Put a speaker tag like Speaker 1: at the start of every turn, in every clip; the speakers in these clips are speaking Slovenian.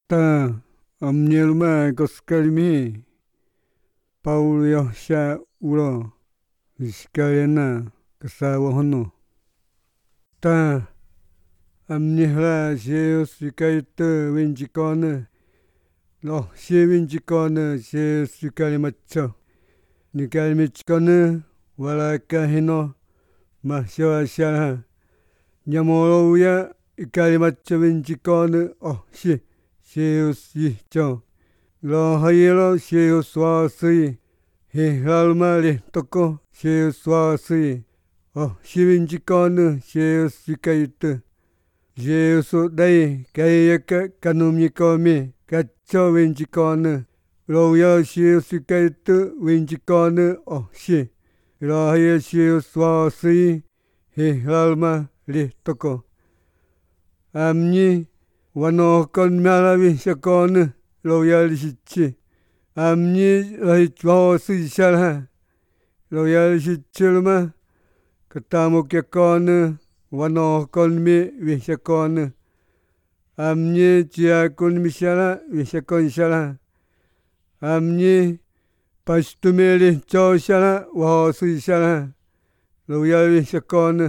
Speaker 1: Ta amnyelma koskalmi Paulo siya ulo iskayana kasawa hono. Ta amnihla siya sikayta winchikona lo siya winchikona siya sikalimatso. Nikalimitskona wala kahino mahsiwa siya nyamoloya ikalimatso winchikona si. Sius yihcho lo hayelo sius wasi hihlalma lihtoko sius wasi siwinchikona sius sikayta sius day kayaka kanumikomi katso winchikona loya sius sikayta winchikona si lo haya sius wasi hihlalma lihtoko amni wanokon malawisakona loyalisitsi amni lahitwawasisala loyalisitsilma katamukyakona wanokonmi wisakona amni tsiakonmisala wisakonsala amni pastumilitsoisala wawasisala loyalisakona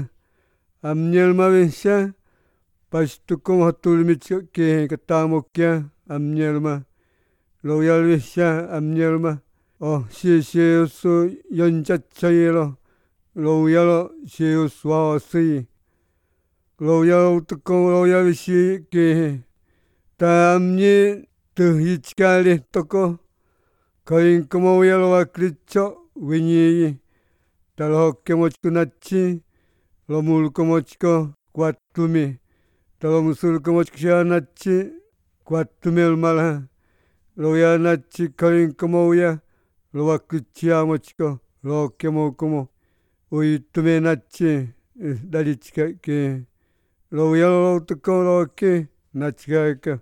Speaker 1: amnielma wisa pastukum hatulmitski katamukya amnielma loyalvisa amnielma sisiusu yonchatsayelo loyalo sius wawasi loyalo tukum loyalvisi ki ta amni tuhitskali toko kainkumowyalo waklitso winyiyi talohokkemotkunatsi lomulkomotsko kwattumi talomusulkomotsianatsi kwattumelmala loyanatsi kainkumowya lowaklitsiyamotsko lohokkemoukumo uittumenatsi dalitskaki loyalo tukum loki natskaka